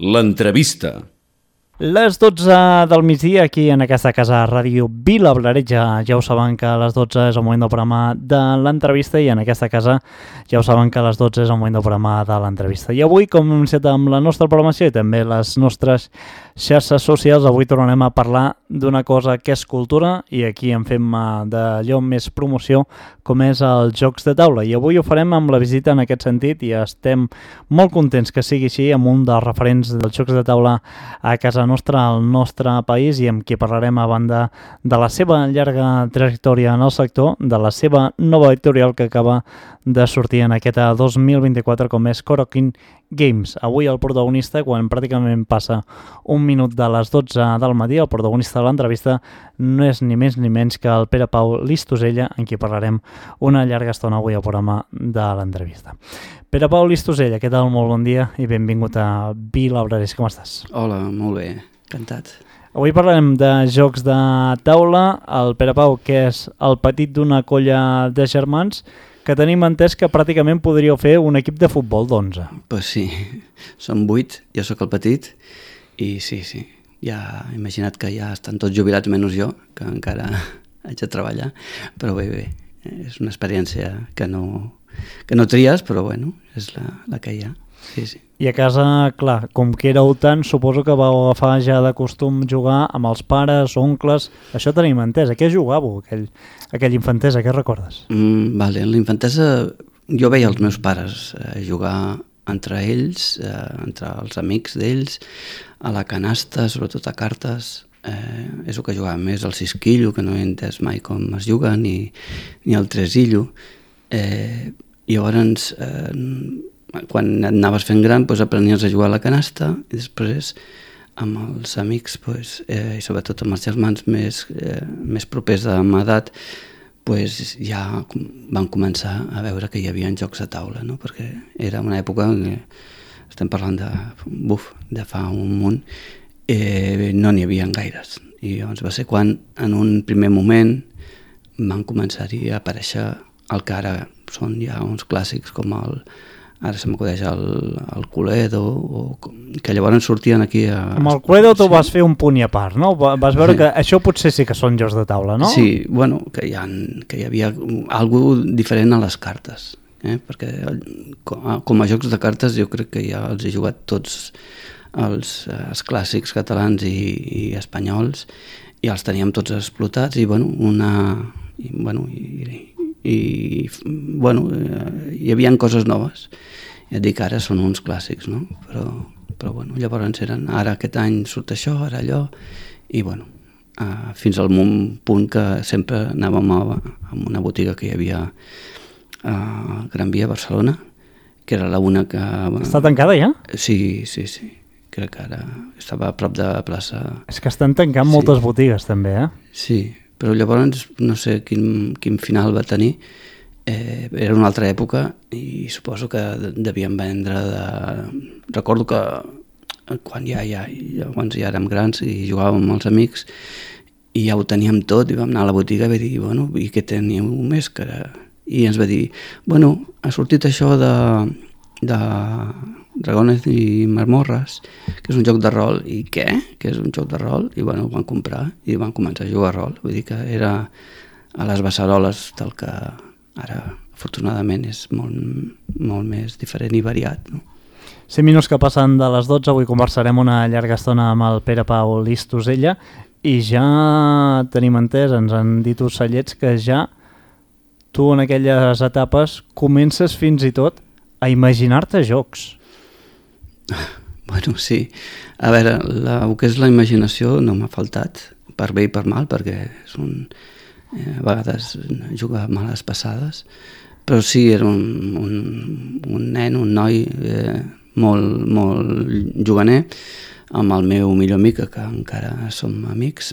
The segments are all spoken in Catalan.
L'entrevista. Les 12 del migdia aquí en aquesta casa Ràdio Vila Blaretja. Ja ho saben que a les 12 és el moment del programa de l'entrevista i en aquesta casa ja ho saben que a les 12 és el moment del programa de l'entrevista. I avui, com hem iniciat amb la nostra programació i també les nostres xarxes socials, avui tornarem a parlar d'una cosa que és cultura i aquí en fem d'allò més promoció com és els jocs de taula. I avui ho farem amb la visita en aquest sentit i estem molt contents que sigui així amb un dels referents dels jocs de taula a casa nostra, al nostre país, i amb qui parlarem a banda de la seva llarga trajectòria en el sector, de la seva nova editorial que acaba de sortir en aquest 2024 com és Corokin Games. Avui el protagonista, quan pràcticament passa un minut de les 12 del matí, el protagonista de l'entrevista no és ni més ni menys que el Pere Pau Listosella, en qui parlarem una llarga estona avui al programa de l'entrevista. Pere Pau Listosella, què tal? Molt bon dia i benvingut a Vila Blaretja. Com estàs? Hola, molt bé, encantat. Avui parlarem de jocs de taula. El Pere Pau, que és el petit d'una colla de germans, que tenim entès que pràcticament podríeu fer un equip de futbol d'11. Pues sí, som 8, jo sóc el petit i sí, ja he imaginat que ja estan tots jubilats menys jo, que encara haig de treballar, però bé, és una experiència que no tries, però bueno, és la que hi ha, sí. I a casa, clar, com que éreu tant, suposo que vau agafar ja de costum jugar amb els pares, oncles, això tenim entès. A què jugàveu, aquell infantesa, què recordes? Vale, en la infantesa jo veia els meus pares jugar entre ells, entre els amics d'ells, a la canasta, sobretot a cartes, és el que jugàvem més, el cisquillo, que no he entès mai com es juga, ni el tresillo. Llavors, quan anaves fent gran, aprenies a jugar a la canasta i després amb els amics i sobretot amb els germans més propers a m'edat ja van començar a veure que hi havia jocs de taula, no? Perquè era una època que estem parlant de fa un munt, no n'hi havia gaires, i llavors va ser quan en un primer moment van començar-hi a aparèixer el que ara són ja uns clàssics com ara se m'acudeix el Cluedo, que llavors sortien aquí Amb el Cluedo tu vas fer un punt i a part, no? Vas veure que això potser sí que són jocs de taula, no? Sí, bueno, que hi havia alguna diferent a les cartes, perquè com a jocs de cartes jo crec que ja els he jugat tots els clàssics catalans i espanyols i els teníem tots explotats i hi havia coses noves. Ja et dic, ara són uns clàssics, no? Però llavors ara aquest any surt això, ara allò, i fins al punt que sempre anàvem a una botiga que hi havia a Gran Via, a Barcelona, que era l'una que... Està tancada ja? Sí. Crec que ara estava a prop de plaça... És que estan tancant moltes botigues també, Sí, però llavors no sé quin final va tenir. Era una altra època i suposo que devien vendre Recordo que quan ja érem grans i jugàvem amb els amics i ja ho teníem tot i vam anar a la botiga i vam dir, i què teníeu més? I ens va dir, ha sortit això de Dragones i Marmorres, que és un joc de rol. I què? Que és un joc de rol? I ho van comprar i van començar a jugar a rol. Vull dir que era a les beceroles del que ara, afortunadament, és molt més diferent i variat, no? 5 minuts que passen de les 12, avui conversarem una llarga estona amb el Pere Pau Listosella i ja tenim entès, ens han dit ocellets, que ja tu en aquelles etapes comences fins i tot a imaginar-te jocs. Sí. A veure, el que és la imaginació no m'ha faltat, per bé i per mal, perquè a vegades juga males passades, però sí, era un nen, un noi molt juganer, amb el meu millor amic, que encara som amics,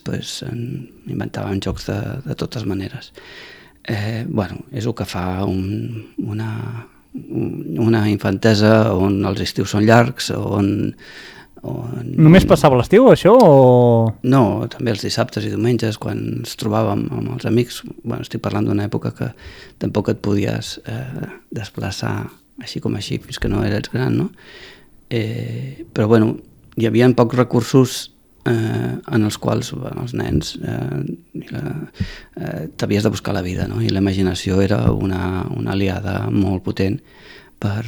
inventàvem jocs de totes maneres. És el que fa una infantesa on els estius són llargs, on... Només passava l'estiu, això, o...? No, també els dissabtes i diumenges, quan ens trobàvem amb els amics. Estic parlant d'una època que tampoc et podies desplaçar així com així, fins que no eres gran, no? Però, hi havia pocs recursos en els quals els nens t'havies de buscar la vida, no? I la imaginació era una aliada molt potent per,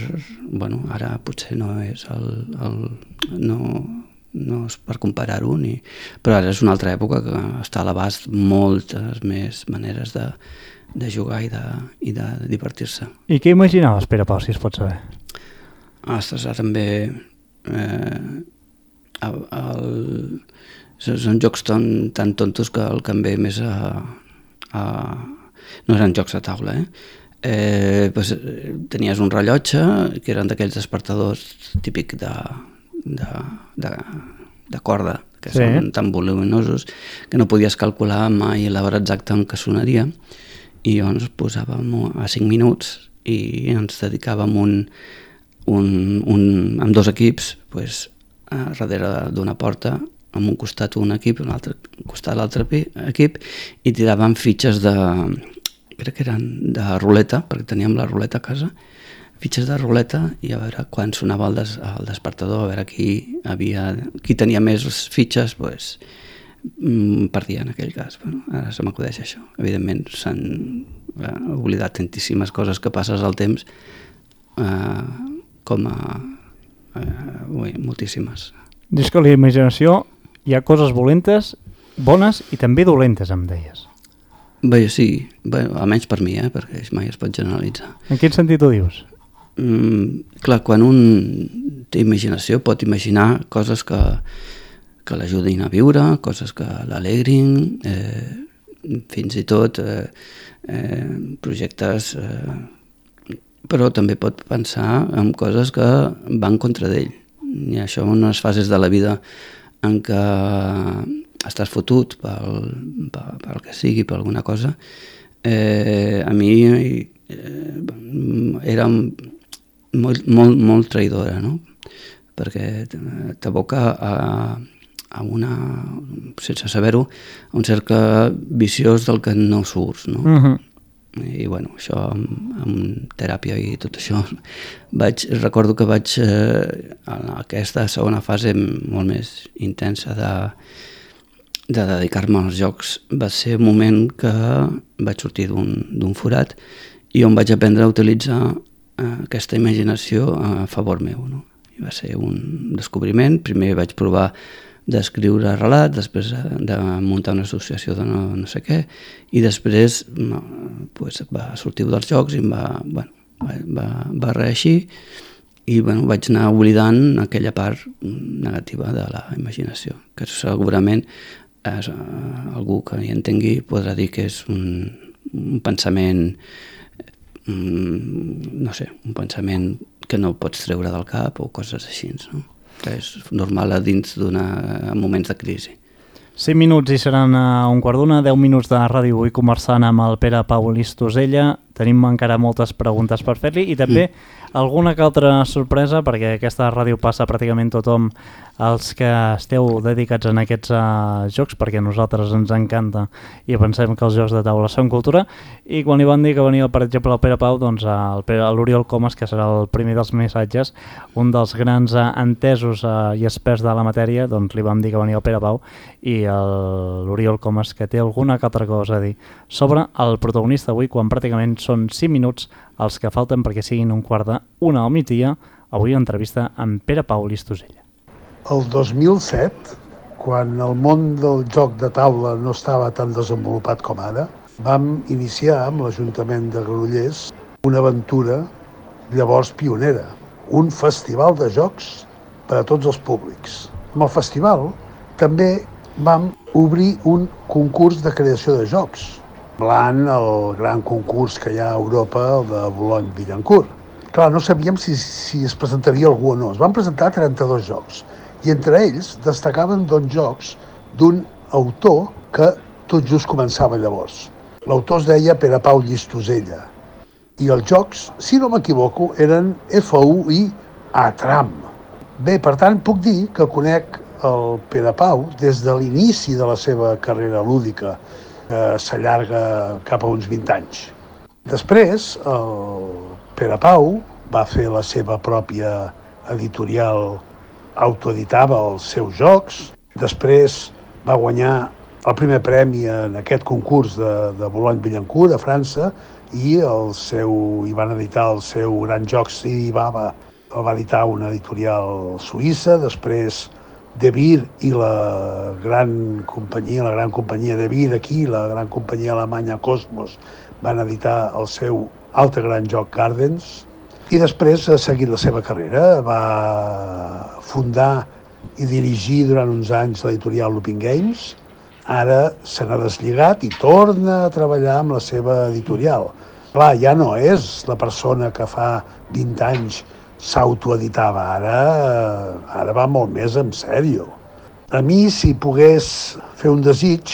bueno, ara potser no és no és per comparar-ho, però ara és una altra època que està a l'abast moltes més maneres de jugar i de divertir-se. I què imaginaves, Pere Pau, si es pot saber? Ostres, ara també són jocs tan tontos que el que em ve més no eren jocs de taula, pues, tenies un rellotge que eren d'aquells despertadors típic de corda, que són tan voluminosos que no podies calcular mai l'hora exacta en què sonaria, i llavors posàvem a 5 minuts i ens dedicàvem amb 2 equips, pues, darrere d'una porta, amb un costat un equip, un altre costat l'altre equip, i tiraven fitxes crec que eren de ruleta, perquè teníem la ruleta a casa, fitxes de ruleta, i a veure quan sonava el despertador, a veure qui tenia més fitxes, pues, perdia en aquell cas. Bueno, ara se m'acudeix això. Evidentment s'han oblidat tantíssimes coses que passes al temps, moltíssimes. Dius que a la imaginació hi ha coses bones i també dolentes, em deies. Bé, sí, almenys per mi, perquè mai es pot generalitzar. En quin sentit ho dius? Clar, quan un té imaginació pot imaginar coses que l'ajudin a viure, coses que l'alegrin, fins i tot projectes, però també pot pensar en coses que van contra d'ell. I això en unes fases de la vida en què estàs fotut pel que sigui, per alguna cosa, a mi era molt traïdora, no? Perquè t'aboca a sense saber-ho, a un cercle viciós del que no surts, no? I bueno, això amb teràpia i tot això, recordo que vaig en aquesta segona fase molt més intensa de dedicar-me als jocs. Va ser un moment que vaig sortir d'un forat i on vaig aprendre a utilitzar aquesta imaginació a favor meu, no? I va ser un descobriment. Primer vaig provar d'escriure relats, després de muntar una associació de no sé què, i després pues, va sortir dels jocs i va reeixir, i vaig anar oblidant aquella part negativa de la imaginació, que segurament algú que hi entengui podrà dir que és un pensament, no sé, un pensament que no pots treure del cap o coses així, no? Que és normal dins moments de crisi. 5 minuts i seran a 1:15, 10 minuts de ràdio. Vull conversant amb el Pere Pau Listosella. Tenim encara moltes preguntes per fer-li i també alguna que altra sorpresa, perquè aquesta ràdio passa pràcticament tothom els que esteu dedicats en aquests jocs, perquè a nosaltres ens encanta i pensem que els jocs de taula són cultura. I quan li van dir que venia, per exemple, el Pere Pau, doncs l'Oriol Comas, que serà el primer dels missatges, un dels grans entesos i experts de la matèria, doncs li vam dir que venia el Pere Pau, i l'Oriol Comas, que té alguna que altra cosa a dir sobre el protagonista avui, quan pràcticament són 5 minuts els que falten perquè siguin 1:45 al migdia. Avui entrevista amb Pere Pau Listosella. El 2007, quan el món del joc de taula no estava tan desenvolupat com ara, vam iniciar amb l'Ajuntament de Granollers una aventura llavors pionera, un festival de jocs per a tots els públics. Amb el festival també vam obrir un concurs de creació de jocs, semblant al gran concurs que hi ha a Europa, el de Boulogne-Billancourt. Clar, no sabíem si es presentaria algú o no. Es van presentar 32 jocs i entre ells destacaven 2 jocs d'un autor que tot just començava llavors. L'autor es deia Pere Pau Listosella i els jocs, si no m'equivoco, eren FU i Atram. Bé, per tant, puc dir que conec el Pere Pau des de l'inici de la seva carrera lúdica, que s'allarga cap a uns 20 anys. Després, el Pere Pau va fer la seva pròpia editorial autoeditava els seus jocs. Després va guanyar el primer premi en aquest concurs de Boulogne-Billancourt, a França, i hi van editar el seu gran joc Sidi Baba, el va editar una editorial suïssa. Després De Beer i la gran companyia De Beer aquí, la gran companyia alemanya Cosmos, van editar el seu altre gran joc Gardens. I després ha seguit la seva carrera, va fundar i dirigir durant uns anys l'editorial Looping Games. Ara se n'ha deslligat i torna a treballar amb la seva editorial. Clar, ja no és la persona que fa 20 anys s'autoeditava, ara va molt més en sèrio. A mi, si pogués fer un desig,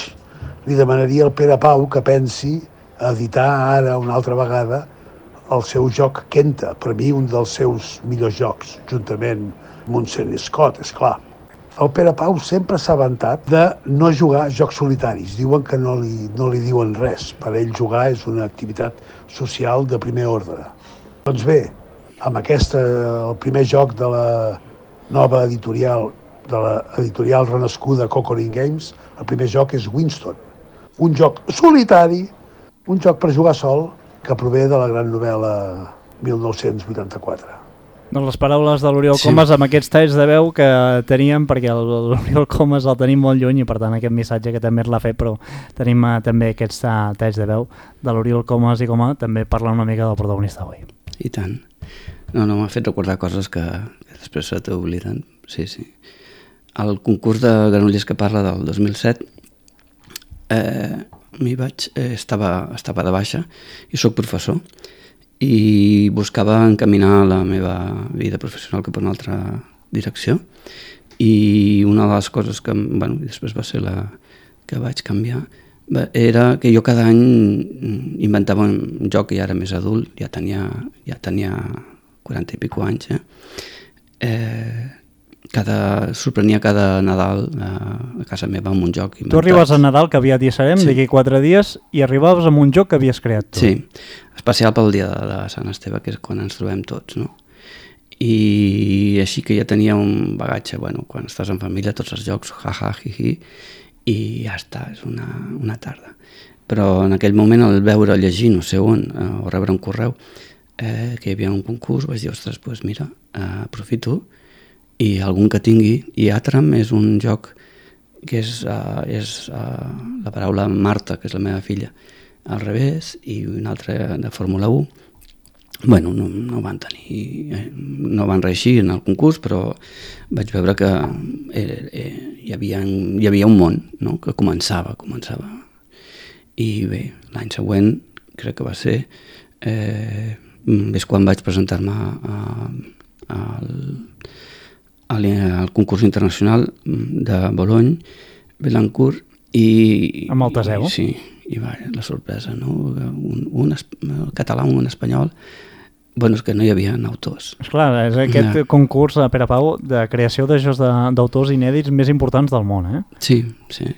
li demanaria al Pere Pau que pensi a editar ara una altra vegada el seu joc Kenta, per mi un dels seus millors jocs, juntament amb un Sean Scott, esclar. El Pere Pau sempre s'ha vantat de no jugar jocs solitaris. Diuen que no li diuen res. Per ell jugar és una activitat social de primer ordre. Doncs bé, amb el primer joc de la nova editorial, de l'editorial renascuda Cocorin Games, el primer joc és Winston. Un joc solitari, un joc per jugar sol, que prové de la gran novel·la 1984. Doncs les paraules de l'Oriol Comas amb aquests talls de veu que teníem, perquè l'Oriol Comas el tenim molt lluny i per tant aquest missatge que també l'ha fet, però tenim també aquests talls de veu de l'Oriol Comas i com també parla una mica del protagonista avui. I tant. No, m'ha fet recordar coses que després se t'obliden. Sí. El concurs de Granollers que parla del 2007 estava de baixa i soc professor i buscava encaminar la meva vida professional cap a una altra direcció, i una de les coses que després va ser la que vaig canviar era que jo cada any inventava un joc, i ara més adult, ja tenia 40 i pico anys, sorprenia cada Nadal a casa meva amb un joc inventat. Tu arribes a Nadal, que aviat hi serem, d'aquí 4 dies, i arribaves amb un joc que havies creat tu. Sí, especial pel dia de Sant Esteve, que és quan ens trobem tots, no? I així que ja tenia un bagatge, quan estàs en família, tots els jocs, hi, i ja està, és una tarda. Però en aquell moment, al veure, llegir, no sé on, o rebre un correu, que hi havia un concurs, vaig dir, ostres, doncs mira, aprofito, i algun que tingui, i Atram és un joc que és la paraula Marta, que és la meva filla, al revés, i un altre de Fórmula 1. No van reeixir en el concurs, però vaig veure que hi havia un món, no?, que començava. I bé, l'any següent, crec que va ser, és quan vaig presentar-me al concurs internacional de Boulogne-Billancourt i... Amb el Teseu? Sí, i la sorpresa, no? Un català, un espanyol, és que no hi havia autors. Esclar, és aquest concurs, Pere Pau, de creació de jocs d'autors inèdits més importants del món, eh? Sí.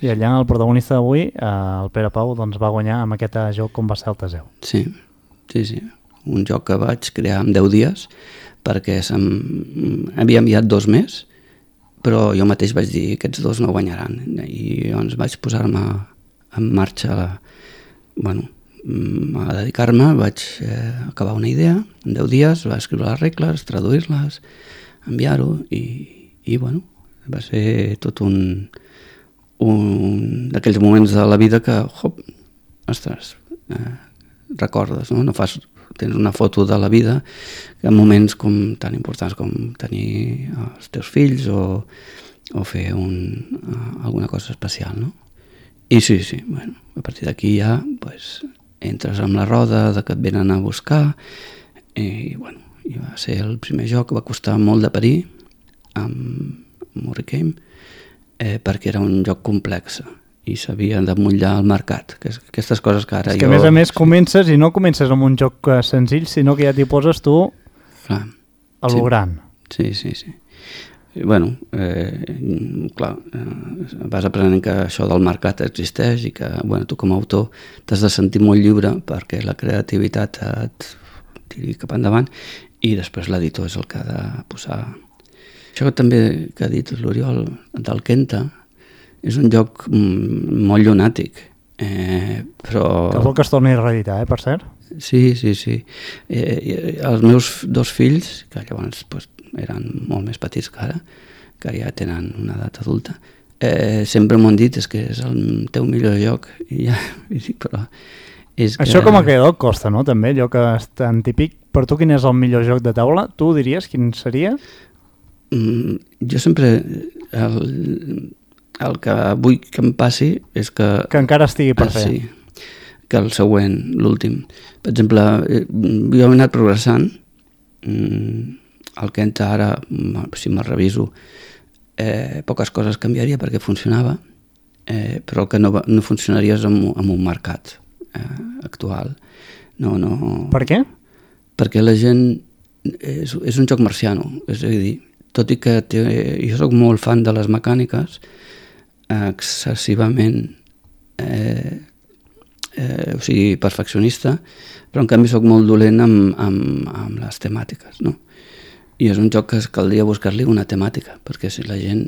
I allà el protagonista d'avui, el Pere Pau, doncs va guanyar amb aquest joc com va ser el Teseu. Sí. Un joc que vaig crear en 10 dies, perquè havia enviat 2 més, però jo mateix vaig dir que aquests 2 no guanyaran, i llavors vaig posar-me en marxa a dedicar-me, vaig acabar una idea en 10 dies, vaig escriure les regles, traduir-les, enviar-ho, i va ser tot un d'aquells moments de la vida que, recordes, no? Tens una foto de la vida en moments tan importants com tenir els teus fills o fer alguna cosa especial, no? I sí, a partir d'aquí ja entres amb la roda de que et venen a buscar, i va ser el primer joc que va costar molt de parir amb Murricane, perquè era un joc complex i s'havia d'emmotllar al mercat, aquestes coses que ara és que a més comences i no comences amb un joc senzill, sinó que ja t'hi poses tu a lo gran. Sí. Vas aprenent que això del mercat existeix i que tu com a autor t'has de sentir molt lliure perquè la creativitat et tiri cap endavant, i després l'editor és el que ha de posar Això també que ha dit l'Oriol del Kenta és un joc molt llunàtic, però... Que vol que es torni a reeditar, per cert? Sí. Els meus 2 fills, que llavors eren molt més petits que ara, que ja tenen una edat adulta, sempre m'ho han dit, és que és el teu millor joc, i ja, però... Això com a creador costa, no? També, allò que és tan típic. Per tu, quin és el millor joc de taula? Tu diries quin seria? Jo sempre... El que vull que em passi és que... Que encara estigui per fer. Sí, que el següent, l'últim. Per exemple, jo he anat progressant. El Kenta ara, si me'l reviso, poques coses canviaria perquè funcionava, però el que no funcionaria és amb un mercat actual. No. Per què? Perquè la gent... És un joc marciano, és a dir, tot i que jo soc molt fan de les mecàniques, excessivament o sigui, perfeccionista, però en canvi soc molt dolent amb les temàtiques, no? I és un joc que caldria buscar-li una temàtica, perquè si la gent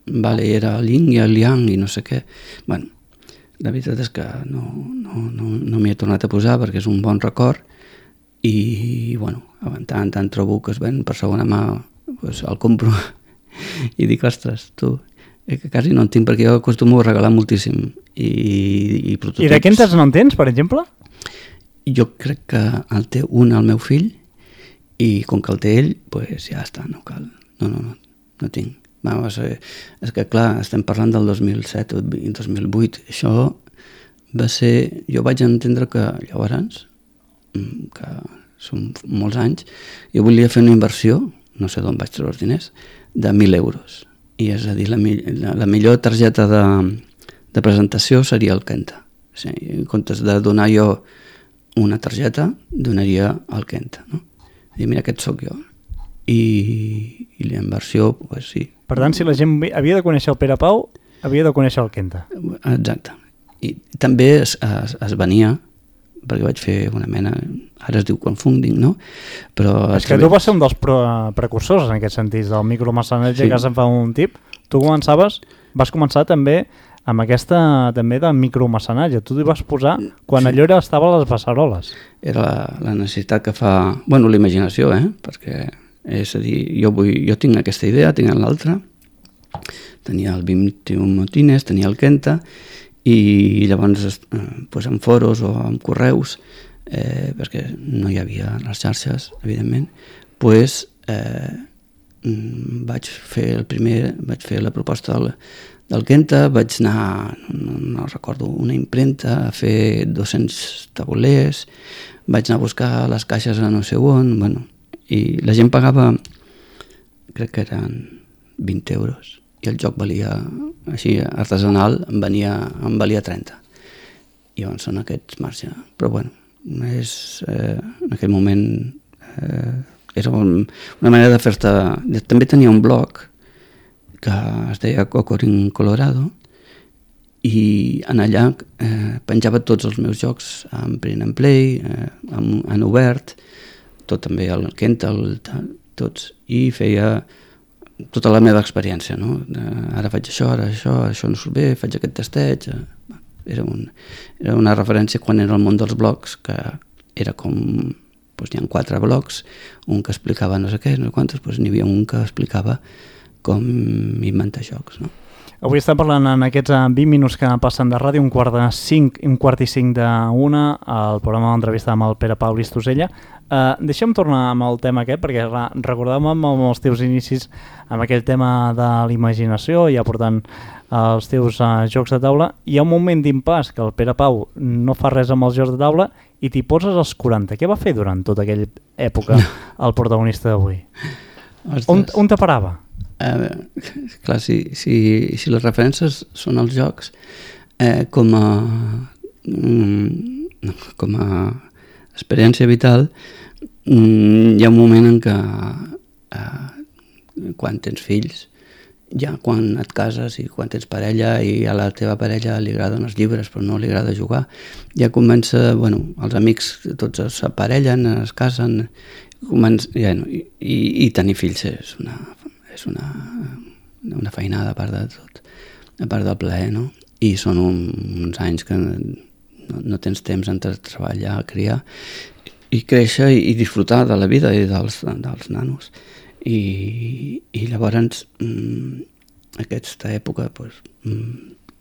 era el yin i el yang i no sé què, bueno, la veritat és que no m'hi he tornat a posar perquè és un bon record i bueno, tant trobo que es ven per segona mà, doncs el compro i dic, ostres, tu, que quasi no en tinc perquè jo acostumo a regalar moltíssim i prototips. I de Kentas no en tens, per exemple? Jo crec que el té un el meu fill i com que el té ell, doncs ja està, no cal. No tinc. És que clar, estem parlant del 2007 o 2008. Això va ser... Jo vaig entendre que llavors, que són molts anys, jo volia fer una inversió, no sé d'on vaig treure els diners, de 1.000 euros. I és a dir, la millor targeta de presentació seria el Kenta. O sigui, en comptes de donar jo una targeta, donaria el Kenta, no? I mira, aquest sóc jo. I la inversió, doncs sí. Per tant, si la gent havia de conèixer el Pere Pau, havia de conèixer el Kenta. Exacte. I també es venia, perquè vaig fer una mena, ara es diu crowdfunding, no? Però és que tu vas ser un dels precursors en aquest sentit, del micromecenatge, sí. Que se'n fa un tip. Tu vas començar també amb aquesta també de micromecenatge. Tu t'hi vas posar quan sí. Allò estava a les beceroles. Era la necessitat que fa... Bueno, la imaginació, perquè és a dir, jo tinc aquesta idea, tinc l'altra. Tenia el 21 Motines, tenia el Kenta, i llavors en foros o en correus, perquè no hi havia les xarxes, evidentment, vaig fer la proposta del Kenta, vaig anar, no recordo, una impremta, a fer 200 taulers, vaig anar a buscar les caixes a no sé on, bueno, i la gent pagava, crec que eren 20 euros, i el joc valia, així, artesanal, em valia 30. I llavors són aquests marges. Però bueno, en aquell moment era una manera de fer-te... També tenia un blog que es deia Cocorin Colorado i en allà penjava tots els meus jocs en print and play, en obert, tot també el Kenta, tots, i feia tota la meva experiència, no? Ara faig això, això no surt bé, faig aquest testeig. Era una referència quan era el món dels blogs, que era com... Doncs hi ha 4 blogs, un que explicava no sé què, no sé quantos, doncs n'hi havia un que explicava com inventar jocs, no? Avui estem parlant en aquests 20 minuts que passen de ràdio, un quart i 5 d'una, al programa d'entrevista amb el Pere Pau Listosella. Deixa'm tornar amb el tema aquest, perquè recordàvem amb els teus inicis amb aquell tema de l'imaginació i aportant els teus jocs de taula. Hi ha un moment d'impàs que el Pere Pau no fa res amb els jocs de taula i t'hi poses als 40. Què va fer durant tota aquella època el protagonista d'avui? On te parava? Clar, si les referències són els jocs, com a experiència vital, hi ha un moment en què quan tens fills, ja quan et cases i quan tens parella i a la teva parella li agraden els llibres però no li agrada jugar, ja comença, els amics tots s'aparellen, es casen, i tenir fills és és una feinada a part de tot, a part del plaer, no? I són uns anys que no tens temps entre treballar, criar i créixer i disfrutar de la vida i dels nanos. I llavors aquesta època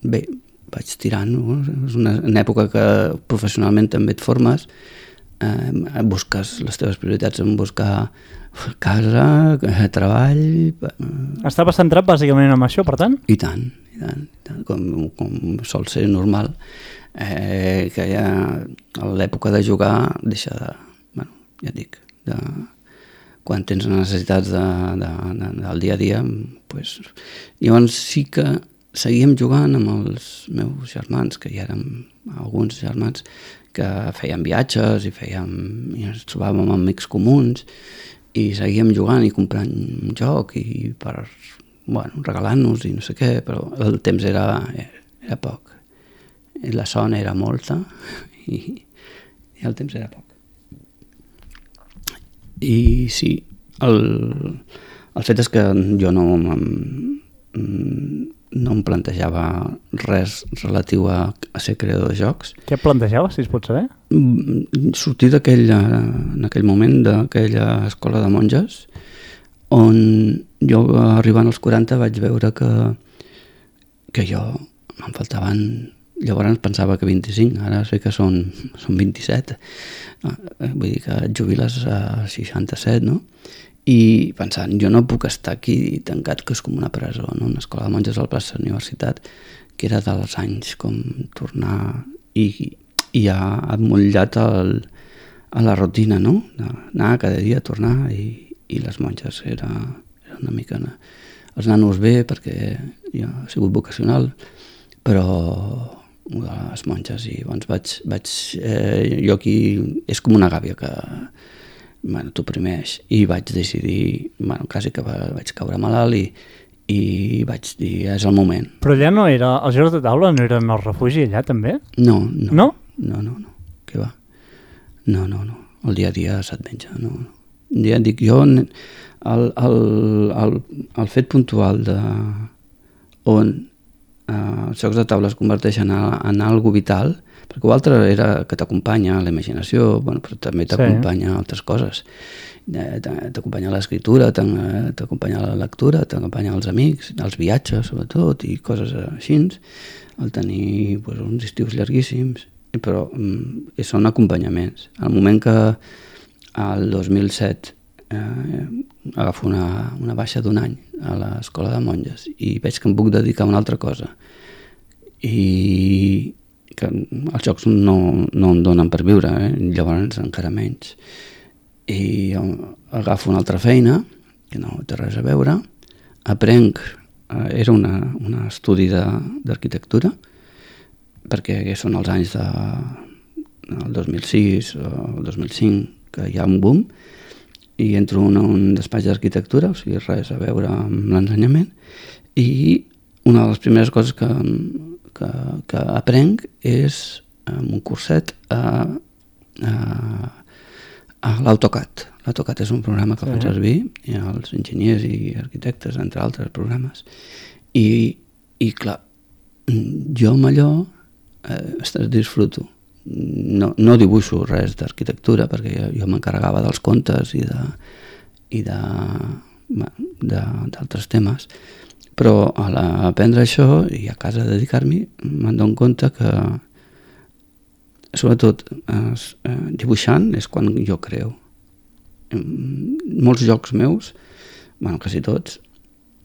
bé, vaig tirant, no? És una època que professionalment també et formes, busques les teves prioritats en buscar casa, treball... Estava centrat bàsicament en això, per tant? I tant, com sol ser normal, que ja a l'època de jugar deixa de... Bueno, ja et dic, quan tens necessitats del dia a dia, doncs... Llavors sí que seguíem jugant amb els meus germans, que ja érem alguns germans, que fèiem viatges i ens trobàvem amb amics comuns i seguíem jugant i comprant un joc i regalant-nos i no sé què, però el temps era poc. La son era molta i el temps era poc. I sí, el fet és que jo no em plantejava res relatiu a ser creador de jocs. Què plantejava, si es pot saber? Sortir en aquell moment d'aquella escola de monges on jo, arribant als 40, vaig veure que jo me'n faltaven... Llavors pensava que 25, ara sé que són 27. Vull dir que et jubiles a 67, no? I pensant, jo no puc estar aquí tancat, que és com una presó, no? Una escola de monges al plaça de la universitat, que era dels anys com tornar i ha emmotllat a la rutina, no? Anar cada dia a tornar i les monges era una mica... Els nanos bé, perquè jo he sigut vocacional, però les monges, i llavors vaig jo aquí és com una gàbia que t'oprimeix, i vaig decidir, quasi que vaig caure malalt i vaig dir, és el moment. Però allà no era, els jocs de taula no eren el refugi allà també? No. No? No, què va? No, el dia a dia se't menja, no. Ja et dic, jo el fet puntual de on els jocs de taula es converteixen en algo vital, perquè l'altre era que t'acompanya la imaginació, però també t'acompanya altres coses. T'acompanya l'escriptura, t'acompanya la lectura, t'acompanya els amics, els viatges, sobretot, i coses així, el tenir uns estius llarguíssims, però són acompanyaments. Al moment que el 2007 agafo una baixa d'un any a l'escola de monges i veig que em puc dedicar a una altra cosa i que els jocs no em donen per viure, llavors encara menys, i agafo una altra feina que no té res a veure, aprenc, era un estudi d'arquitectura, perquè són els anys del 2006 o el 2005 que hi ha un boom, i entro en un despatx d'arquitectura, o sigui, res a veure amb l'ensenyament, i una de les primeres coses que aprenc és un curset a l'AutoCAD. L'AutoCAD és un programa que fan servir els enginyers i arquitectes, entre altres programes, i clar, jo amb allò disfruto. No dibuixo res d'arquitectura perquè jo m'encarregava dels contes i d'altres temes, però a aprendre això i a casa dedicar-m'hi me'n dono compte que sobretot dibuixant és quan jo creo. Molts jocs meus, quasi tots,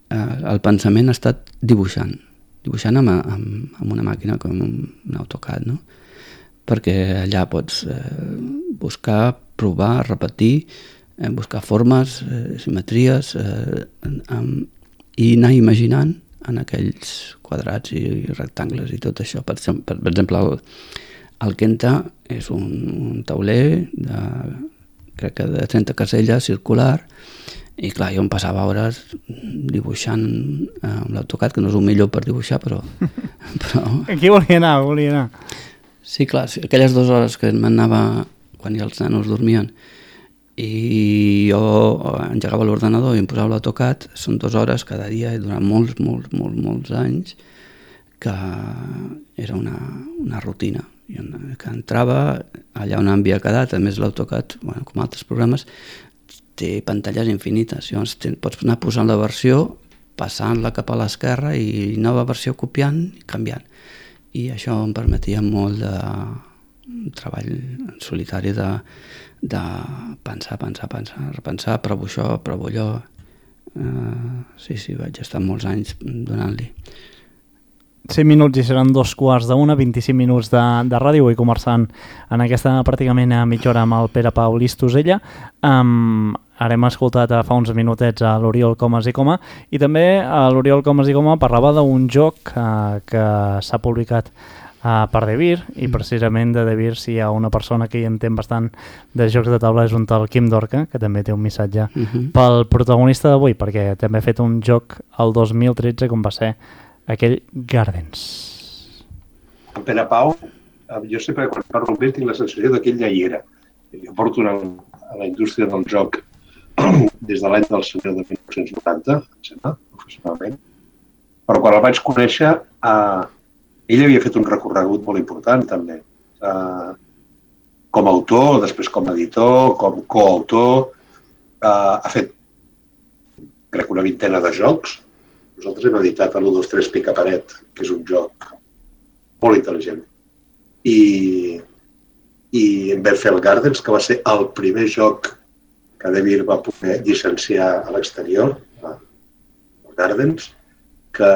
el pensament ha estat dibuixant amb una màquina com un AutoCAD, no? Perquè allà pots buscar, provar, repetir, buscar formes, simetries, i anar imaginant en aquells quadrats i rectangles i tot això. Per exemple, el Kenta és un tauler crec que de 30 caselles circular, i clar, jo em passava hores dibuixant amb l'AutoCAD, que no és el millor per dibuixar, però... Aquí volia anar. Sí, clar, aquelles 2 hores que m'anava quan els nanos dormien i jo engegava l'ordenador i em posava l'AutoCAD. Són 2 hores cada dia i durant molts anys, que era una rutina. Que entrava allà on havia quedat. A més, l'AutoCAD, com altres programes, té pantalles infinites. Llavors pots anar posant la versió, passant-la cap a l'esquerra i nova versió copiant i canviant. I això em permetia molt de treball en solitari de pensar, repensar, provo això, provo allò. Sí, vaig estar molts anys donant-li. 5 minuts i seran 2:45, 25 minuts de ràdio. Vull començant en aquesta pràcticament mitja hora amb el Pere Pau Listosella. Ara hem escoltat fa uns minutets a l'Oriol Comas i Coma, i també l'Oriol Comas i Coma parlava d'un joc que s'ha publicat per Devir, i precisament de Devir, si hi ha una persona que hi entén bastant de jocs de taula, és un tal Quim Dorca, que també té un missatge pel protagonista d'avui, perquè també ha fet un joc el 2013 com va ser aquell Gardens. En Pere Pau, jo sempre quan parlo amb ell tinc la sensació que ell ja hi era. Jo porto a la indústria del joc des de l'any del senyor de 1990, em sembla, professionalment. Però quan el vaig conèixer, ell havia fet un recorregut molt important, també. Com a autor, després com a editor, com coautor. Ha fet, crec, una vintena de jocs. Nosaltres hem editat l'1, 2, 3 Pica Paret, que és un joc molt intel·ligent. I en vam fer el Gardens, que va ser el primer joc que Devir va poder llicenciar a l'exterior, el Gardens, que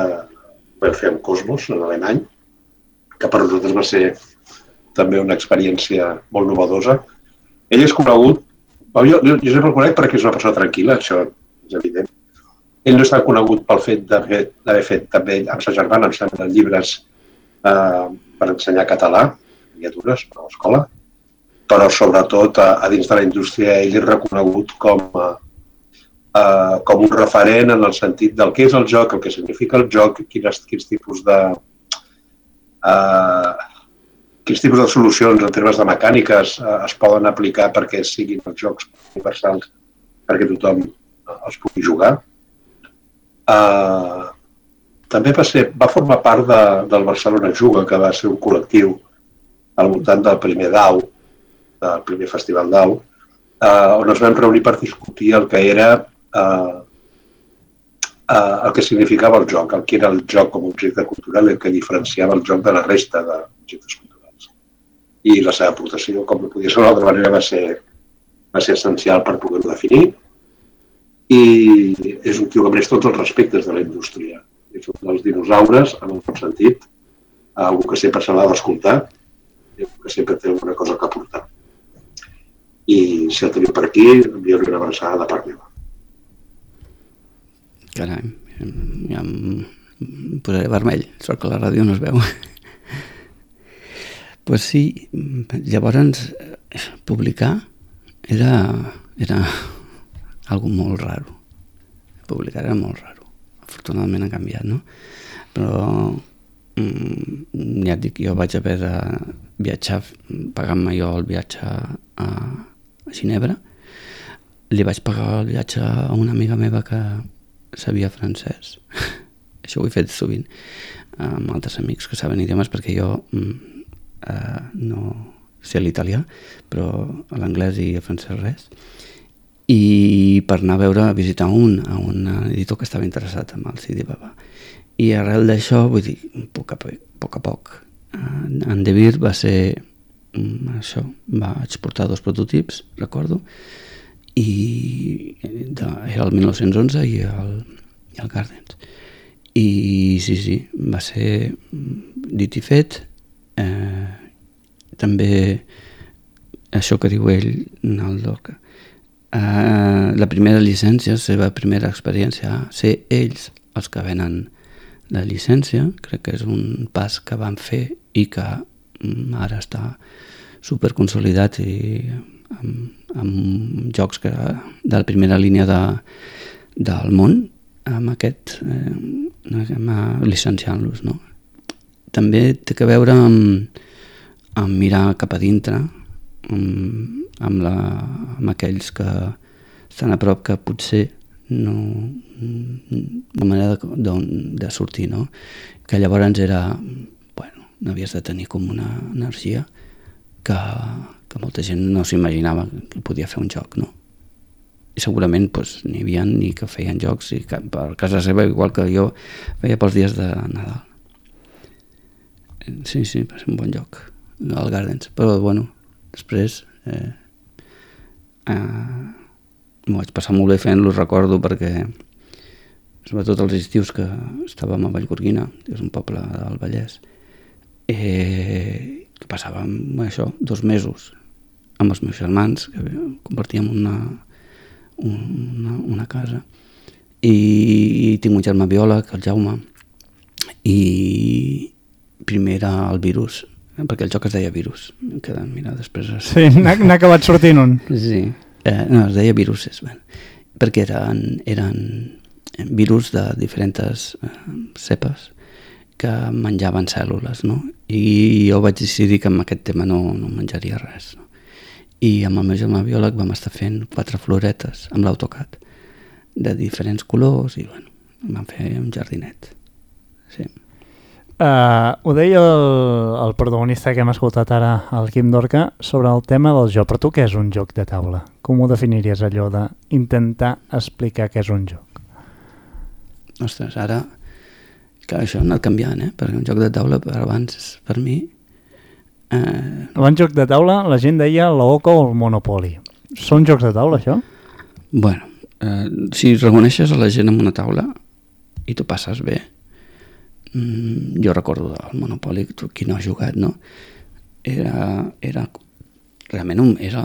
vam fer amb Cosmos, en alemany, que per nosaltres va ser també una experiència molt novedosa. Ell és conegut, jo sempre el conec perquè és una persona tranquil·la, això és evident. Ell no està conegut pel fet d'haver fet també amb sa germana, em sembla, llibres per ensenyar català, miniatures per a l'escola, però sobretot a dins de la indústria ell és reconegut com un referent en el sentit del què és el joc, el que significa el joc, quins tipus de solucions en termes de mecàniques es poden aplicar perquè siguin els jocs universals perquè tothom els pugui jugar. També va formar part del Barcelona Juga, que va ser un col·lectiu al voltant del primer DAO, del primer festival DAO, on ens vam reunir per discutir el que era el que significava el joc, el que era el joc com a objecte cultural i el que diferenciava el joc de la resta d'objectes culturals. I la seva aportació, com no podia ser d'altra manera, va ser essencial per poder-ho definir. I és un tio que mereix tots els respectes de la indústria. És un dels dinosaures, en un bon sentit, algú que sempre se l'ha d'escoltar i algú que sempre té alguna cosa que aportar. I si el teniu per aquí, envio-li una abraçada de part meva. Carai, ja em posaré vermell, sort que la ràdio no es veu. Pues sí, llavors publicar era algo molt raro. Publicar era molt raro. Afortunadament ha canviat, no? Però ja et dic, jo vaig haver de viatjar, pagant-me jo el viatge a Ginebra. Li vaig pagar el viatge a una amiga meva que sabia francès. Això ho he fet sovint amb altres amics que saben idiomes, perquè jo no sé l'italià, però l'anglès i el francès res. I per anar a visitar un editor que estava interessat en el CD Baba. I arrel d'això, vull dir, a poc a poc. En Devir va ser això, vaig portar 2 prototips, recordo, i era el 1911 i el Gardens. I sí, va ser dit i fet. També això que diu ell, el Dorca. La primera llicència, la seva primera experiència, ser ells els que venen la llicència, crec que és un pas que van fer i que ara està superconsolidat i amb jocs de la primera línia del món, amb aquest llicenciant-los, no? També té a veure amb mirar cap a dintre, amb aquells que estan a prop, que potser no manera de sortir, no? Que llavors era, bueno, n'havies de tenir com una energia que molta gent no s'imaginava que podia fer un joc, no? I segurament n'hi havia ni que feien jocs i per casa seva, igual que jo feia pels dies de Nadal. Sí, va ser un bon joc, el Gardens, però bueno, després m'ho vaig passar molt bé fent-lo, recordo, perquè sobretot els estius que estàvem a Vallgorguina, que és un poble del Vallès, que passàvem això 2 mesos amb els meus germans, que compartíem una casa, i tinc un germà biòleg, el Jaume, i primer era el Virus, perquè el joc es deia Virus, que mira, després... Sí, n'ha acabat sortint un. Sí, no, es deia Viruses, perquè eren virus de diferents cepes que menjaven cèl·lules, no? I jo vaig decidir que amb aquest tema no menjaria res, no? I amb el meu germà biòleg vam estar fent 4 floretes amb l'AutoCAD de diferents colors i bueno, vam fer un jardinet. Sí. Ho deia el protagonista que hem escoltat ara, el Quim Dorca, sobre el tema del joc. Però tu què és un joc de taula? Com ho definiries, allò d'intentar explicar què és un joc? Ostres, ara clar, això ha anat canviant, perquè un joc de taula abans, per mi... Abans joc de taula la gent deia l'Oca o el Monopoly. Són jocs de taula, això? Bueno, si reuneixes a la gent en una taula i tu passes bé, jo recordo el Monopoly, qui no ha jugat, no? Realment era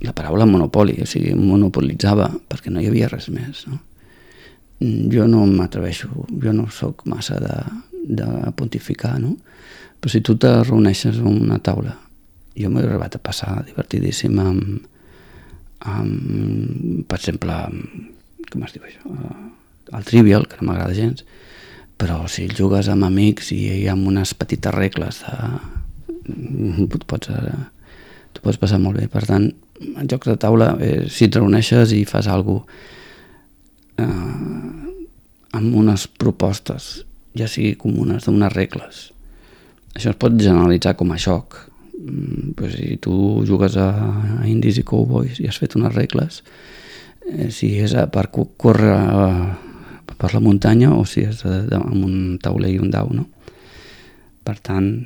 la paraula Monopoly, o sigui, monopolitzava perquè no hi havia res més, no? Jo no m'atreveixo, jo no sóc massa de pontificar, no? Però si tu te reuneixes en una taula, jo m'he arribat a passar divertidíssim amb per exemple, com es diu això? El Trivial, que no m'agrada gens, però si el jugues amb amics i hi ha unes petites regles t'ho pots passar molt bé. Per tant, en jocs de taula, si et reuneixes i fas alguna cosa amb unes propostes, ja sigui comunes, d'unes regles, això es pot generalitzar com a joc. Si tu jugues a Indies i Cowboys i has fet unes regles, si és per córrer per la muntanya o si és amb un tauler i un dau, no? Per tant,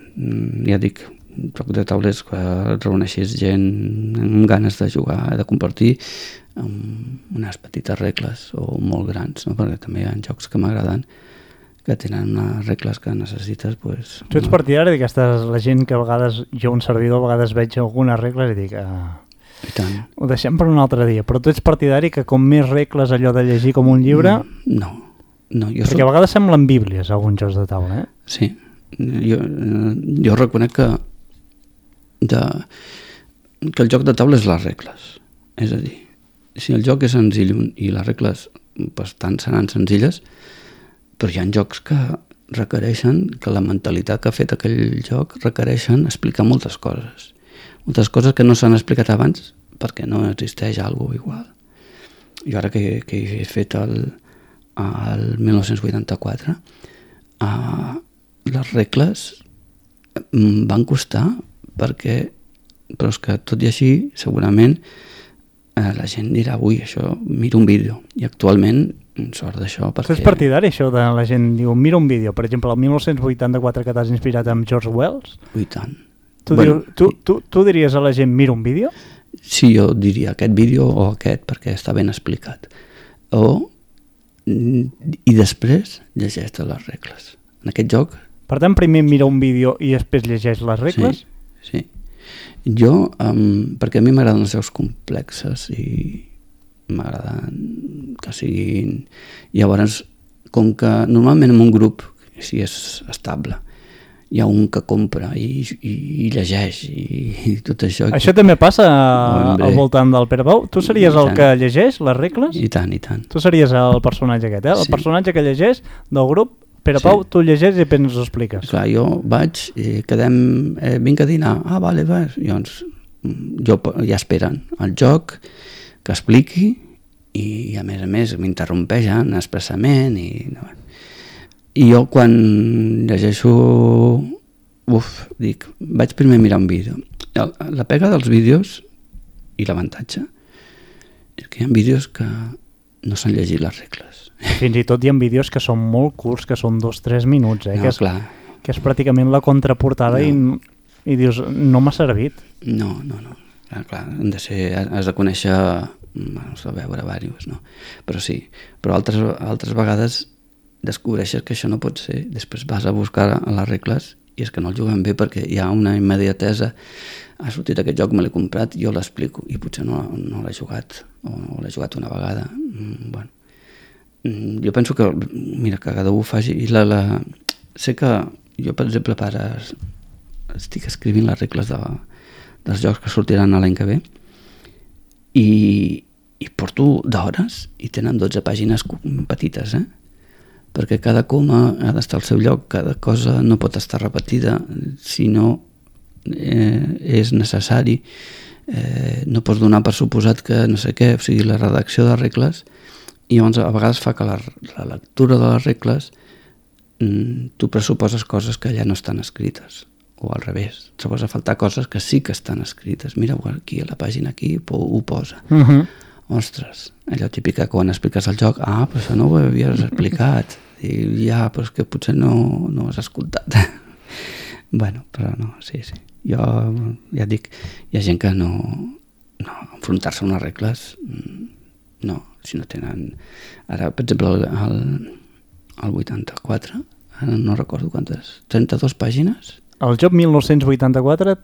ja dic, un joc de taulers que et reuneixis gent amb ganes de jugar, de compartir amb unes petites regles o molt grans, no? Perquè també hi ha jocs que m'agraden que tenen unes regles que necessites. Tu ets partidari d'aquestes, la gent que a vegades, jo un servidor, a vegades veig algunes regles i dic i tant. Ho deixem per un altre dia, però tu ets partidari que com més regles allò de llegir com un llibre... No, perquè a vegades semblen bíblies alguns jocs de taula, Sí, jo reconec que el joc de taula és les regles, és a dir, si el joc és senzill i les regles tant seran senzilles, però hi ha jocs que requereixen, que la mentalitat que ha fet aquell joc requereixen explicar moltes coses que no s'han explicat abans perquè no existeix alguna igual. Jo ara que he fet el 1984, les regles van costar però és que tot i així segurament la gent dirà, ui, això, mira un vídeo, i actualment sort d'això perquè... Tu ets partidari, això de la gent diu, mira un vídeo, per exemple, el 1984 que t'has inspirat amb George Wells? I tant. Tu diries a la gent, mira un vídeo? Sí, jo diria aquest vídeo o aquest perquè està ben explicat. I després llegeix les regles. En aquest joc... Per tant, primer mira un vídeo i després llegeix les regles? Sí. Jo, perquè a mi m'agraden els jocs complexes i m'agraden que siguin... Llavors, com que normalment en un grup, si és estable, hi ha un que compra i llegeix i tot això... Això també passa al voltant del Pere Pau? Tu series el que llegeix les regles? I tant, i tant. Tu series el personatge aquest, el personatge que llegeix del grup. Pere Pau, tu llegeix i després ens ho expliques. Clar, jo vaig i quedem, vinc a dinar, vale, llavors ja esperen el joc, que expliqui, i a més m'interrompeixen expressament i jo quan llegeixo dic, vaig primer mirar un vídeo. La pega dels vídeos i l'avantatge és que hi ha vídeos que no s'han llegit les regles. Fins i tot hi ha vídeos que són molt curts, que són 2-3 minuts, que és pràcticament la contraportada i dius, no m'ha servit. No. Clar, has de conèixer, has de veure diversos, no? Però sí, però altres vegades descobreixes que això no pot ser, després vas a buscar les regles i és que no el juguen bé perquè hi ha una immediatesa. Ha sortit aquest joc, me l'he comprat, jo l'explico i potser no l'he jugat o l'he jugat una vegada. Bueno, jo penso que, mira, que cada un faci sé que jo, per exemple, estic escrivint les regles dels jocs que sortiran l'any que ve i porto d'hores i tenen 12 pàgines petites, perquè cada coma ha d'estar al seu lloc, cada cosa no pot estar repetida si no és necessari, no pots donar per suposat que no sé què, o sigui, la redacció de regles, i llavors a vegades fa que la lectura de les regles tu pressuposes coses que ja no estan escrites, o al revés, trobes a faltar coses que sí que estan escrites. Mira, aquí a la pàgina aquí ho posa. Ostres, allò típic que quan expliques el joc, però això no ho havies explicat, i ja, però és que potser no ho has escoltat. Bueno, però no, sí. Jo ja et dic, hi ha gent que no enfrontar-se a unes regles, no, si no tenen... Ara, per exemple, el 84, ara no recordo quantes, 32 pàgines? El joc 1984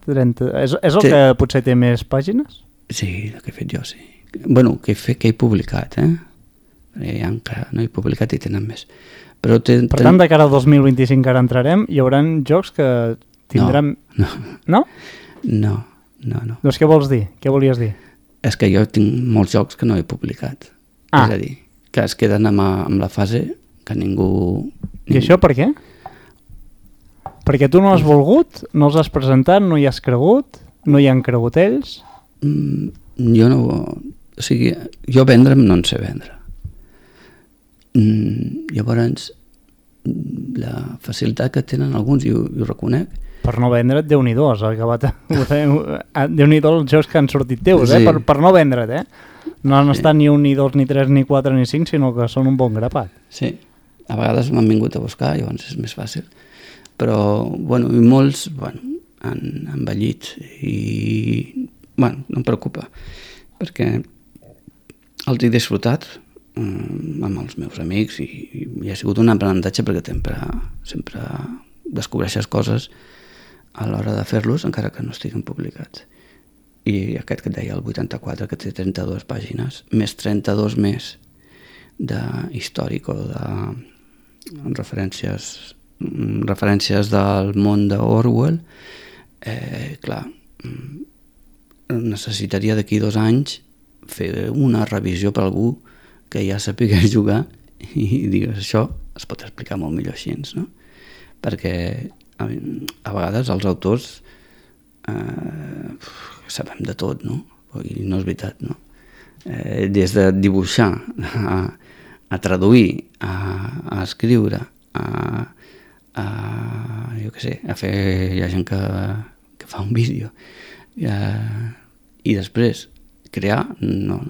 és el que potser té més pàgines? Sí, el que he fet jo, sí. Bueno, que he publicat, no he publicat i tenen més. Per tant, de cara al 2025 que ara entrarem, hi haurà jocs que tindran... No? No. Doncs què vols dir? Què volies dir? És que jo tinc molts jocs que no he publicat. És a dir, que es queden amb la fase que ningú... I això per què? Perquè tu no has volgut, no els has presentat, no hi has cregut, no hi han cregut ells? Jo no... O sigui, jo vendre'm no en sé vendre. Llavors, la facilitat que tenen alguns, i ho reconec... Per no vendre't, Déu-n'hi-do, has acabat... Déu-n'hi-do els jocs que han sortit teus, sí. Per no vendre't, No han estat ni 1, ni 2, ni 3, ni 4, ni 5, sinó que són un bon grapat. Sí, a vegades m'han vingut a buscar, llavors és més fàcil. Però, bueno, i molts, han envellit i, no em preocupa, perquè els he disfrutat amb els meus amics i ha sigut un aprenentatge perquè sempre descobreixes coses a l'hora de fer-los, encara que no estiguin publicats. I aquest que et deia, el 84, que té 32 pàgines, més 32 més d'històric o de referències del món d'Orwell, clar, necessitaria d'aquí 2 anys fer una revisió per algú que ja sapigués jugar i digues, això es pot explicar molt millor així, no? Perquè a vegades els autors sabem de tot, no? I no és veritat, no? Des de dibuixar a traduir, a escriure, jo què sé, a fer... Hi ha gent que fa un vídeo i després crear, no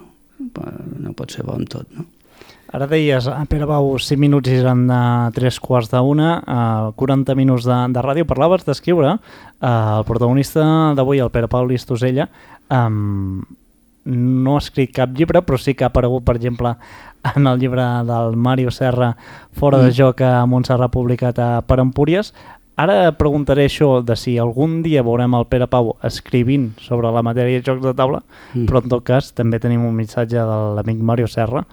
pot ser bo en tot, no? Ara deies, Pere Pau, 5 minuts i seran 3:15, 40 minuts de ràdio. Parlaves d'escriure. El protagonista d'avui, el Pere Pau Listosella, no ha escrit cap llibre, però sí que ha aparegut, per exemple, en el llibre del Màrius Serra, Fora de joc, a Montserrat, publicat per Empúries. Ara preguntaré això de si algun dia veurem el Pere Pau escrivint sobre la matèria de jocs de taula, però en tot cas també tenim un missatge de l'amic Màrius Serra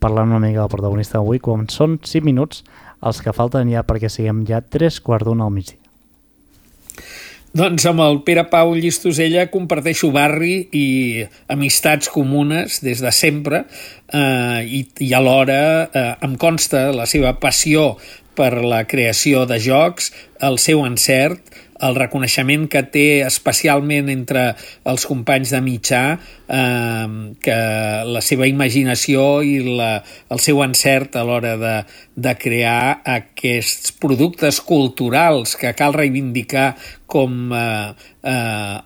parlant una mica del protagonista d'avui, quan són 5 minuts els que falten ja perquè siguem ja 3:15 al migdia. Doncs amb el Pere Pau Llistosella comparteixo barri i amistats comunes des de sempre i alhora em consta la seva passió per la creació de jocs, el seu encert, el reconeixement que té especialment entre els companys de mitjà, que la seva imaginació i el seu encert a l'hora de crear aquests productes culturals que cal reivindicar com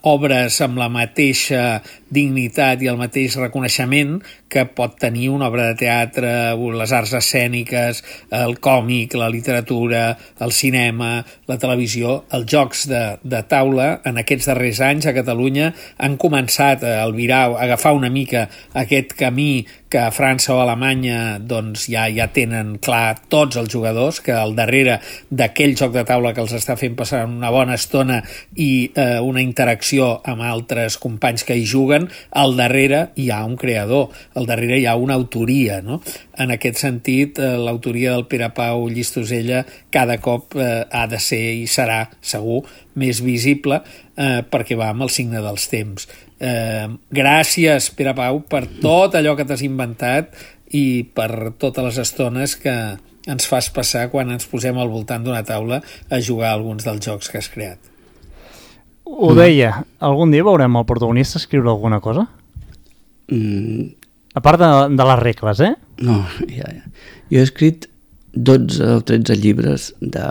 obres amb la mateixa dignitat i el mateix reconeixement que pot tenir una obra de teatre, les arts escèniques, el còmic, la literatura, el cinema, la televisió. Els jocs de taula en aquests darrers anys a Catalunya han començat a albirar, a agafar una mica aquest camí que a França o a Alemanya doncs, ja tenen clar tots els jugadors, que al darrere d'aquell joc de taula que els està fent passar una bona estona i una interacció amb altres companys que hi juguen, al darrere hi ha un creador, al darrere hi ha una autoria, no? En aquest sentit, l'autoria del Pere Pau Llistosella cada cop ha de ser i serà, segur, més visible perquè va amb el signe dels temps. Gràcies, Pere Pau, per tot allò que t'has inventat i per totes les estones que ens fas passar quan ens posem al voltant d'una taula a jugar a alguns dels jocs que has creat. Ho deia, algun dia veurem el protagonista escriure alguna cosa? A part de les regles, eh? No, ja. Jo he escrit 12 o 13 llibres de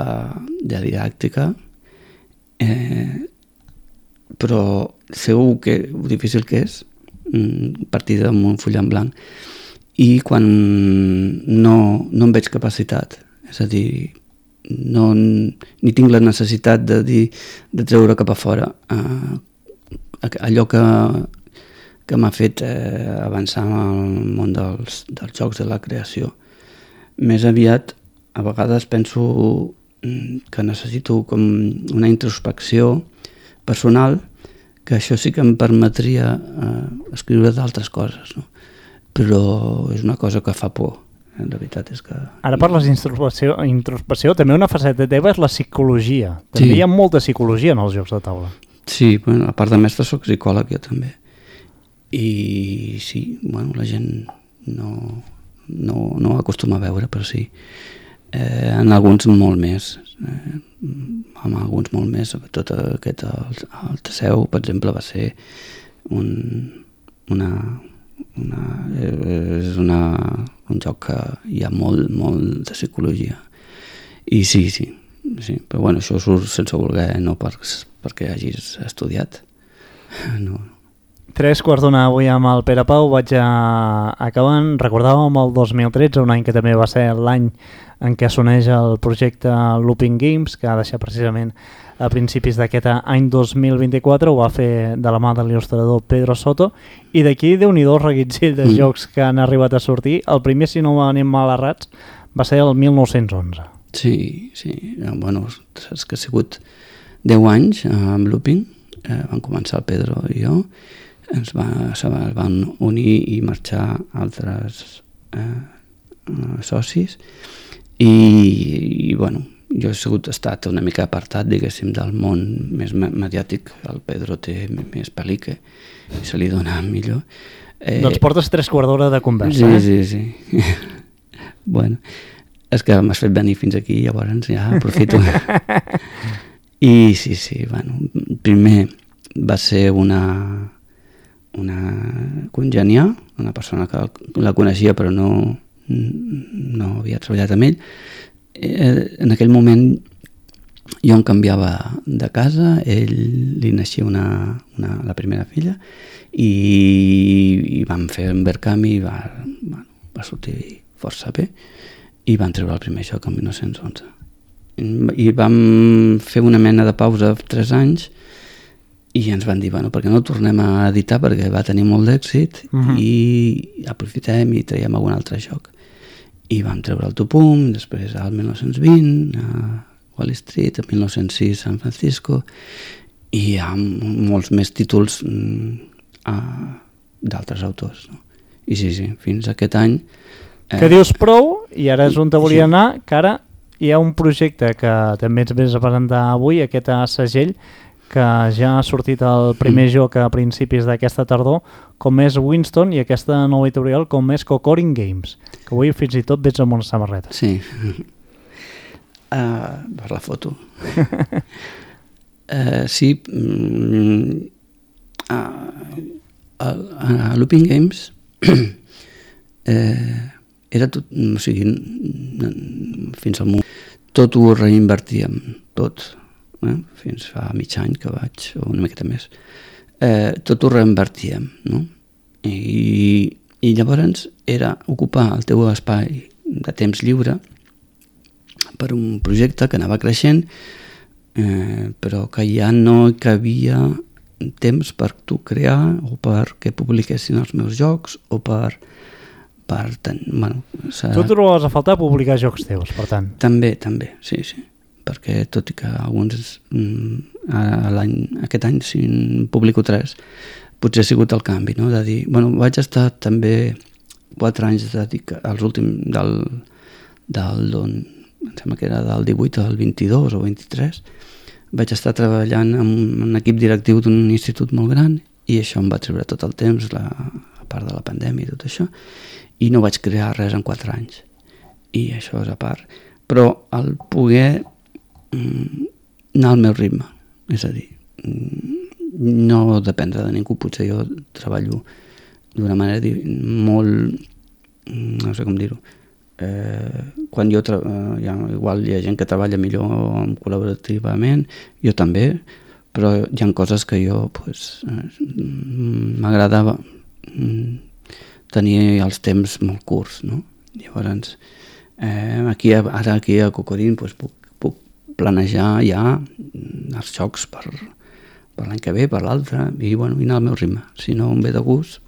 didàctica, però segur que el difícil que és partir d'un full en blanc, i quan no en veig capacitat, és a dir, ni tinc la necessitat de treure cap a fora allò que m'ha fet avançar en el món dels jocs de la creació. Més aviat, a vegades penso que necessito com una introspecció personal, que això sí que em permetria escriure d'altres coses, no? Però és una cosa que fa por. La veritat és que... Ara parles d'introspecció, també una faceta teva és la psicologia. També hi ha molta psicologia en els jocs de taula. Sí, bueno, a part de mestre soc psicòleg jo també. I sí, bueno, la gent no acostuma a veure, però sí. En alguns molt més. En alguns molt més, sobretot aquest, el Teseu, per exemple, va ser és un joc que hi ha molt de psicologia. I sí, però bueno, això surt sense voler, no perquè hagis estudiat. No. 3:15 avui amb el Pere Pau, vaig acabant. Recordàvem el 2013, un any que també va ser l'any en què s'uneix el projecte Looping Games, que ha deixat precisament a principis d'aquest any 2024, ho va fer de la mà de l'il·lustrador Pedro Soto, i d'aquí Déu-n'hi-do el reguitzell de jocs que han arribat a sortir. El primer, si no anem mal errats, va ser el 1911. Sí, bueno, saps que ha sigut 10 anys amb Looping, van començar el Pedro i jo, ens van unir i marxar altres socis, i bueno, jo he estat una mica apartat, diguéssim, del món més mediàtic. El Pedro té més pel·lícula i se li dona millor. Doncs portes 3/4 d'hora de conversa. Sí. Bueno, és que m'has fet venir fins aquí, llavors ja aprofito. I sí, bueno, primer va ser una congènia, una persona que la coneixia però no havia treballat amb ell. En aquell moment jo em canviava de casa, li naixia la primera filla, i vam fer un intercanvi i va sortir força bé, i van treure el primer joc en 1911. I vam fer una mena de pausa 3 anys i ens van dir, bueno, per què no tornem a editar, perquè va tenir molt d'èxit, i aprofitem i traiem algun altre joc. I vam treure el Tupum, després al 1920 a Wall Street, el 1906 a San Francisco, i hi ha molts més títols d'altres autors, no? I sí, fins aquest any... Que dius prou, i ara és on te volia anar, que ara hi ha un projecte que també ens vens a presentar avui, aquest segell, que ja ha sortit el primer joc a principis d'aquesta tardor, com és Winston, i aquesta nova editorial com és Cocorin Games, que avui fins i tot veig amb una samarreta. Sí, per la foto. Sí, a Looping Games era tot, o sigui, fins al moment tot ho reinvertíem, tot, fins fa mig any que vaig, o una miqueta més, tot ho reinvertíem, no? I llavors era ocupar el teu espai de temps lliure per un projecte que anava creixent, però que ja no hi cabia temps per tu crear o perquè publiquessin els meus jocs o per bueno, tu trobes a faltar publicar jocs teus, per tant. També, sí, perquè tot i que alguns aquest any si en publico 3, potser ha sigut el canvi, no? De dir, bueno, vaig estar també 4 anys dedicat als últims em sembla que era del 18 al 22 o 23, vaig estar treballant en un equip directiu d'un institut molt gran i això em va treure tot el temps, a part de la pandèmia i tot això, i no vaig crear res en 4 anys. I això és a part. Però el poder anar al meu ritme, és a dir, no dependre de ningú, potser jo treballo d'una manera molt, no sé com dir-ho, quan jo igual hi ha gent que treballa millor col·laborativament, jo també, però hi ha coses que jo m'agradava tenir els temps molt curts, no? Llavors aquí a Cocorín puc planejar ja els jocs per l'any que ve, per l'altre, i anar al meu ritme. Si no em ve de gust,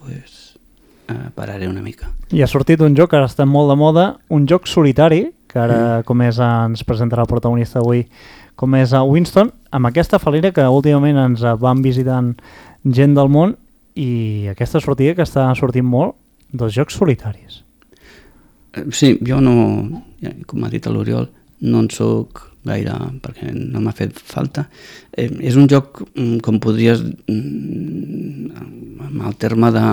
pararé una mica. I ha sortit un joc que ara està molt de moda, un joc solitari, que ara com és ens presentarà el protagonista avui, com és a Winston, amb aquesta fal·lera que últimament ens van visitant gent del món, i aquesta sortida que està sortint molt dels jocs solitaris. Sí, jo no, com ha dit l'Oriol, no en soc gaire, perquè no m'ha fet falta. És un joc, com podries, amb el terme de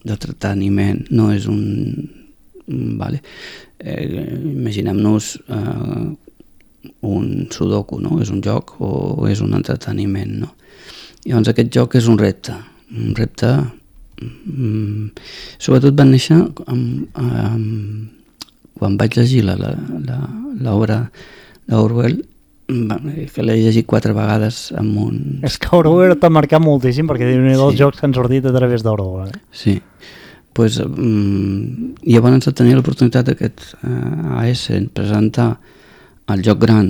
entreteniment, no és un... Vale. Imaginem-nos un sudoku, no? És un joc o és un entreteniment, no? Llavors aquest joc és un repte sobretot va néixer quan vaig llegir l'obra d'Orwell, que l'he llegit 4 vegades amb un... És que Orwell t'ha marcat moltíssim, perquè diu-ne dels jocs que han sortit a través d'Orwell. Sí, doncs llavors de tenir l'oportunitat d'aquest AS presentar el joc gran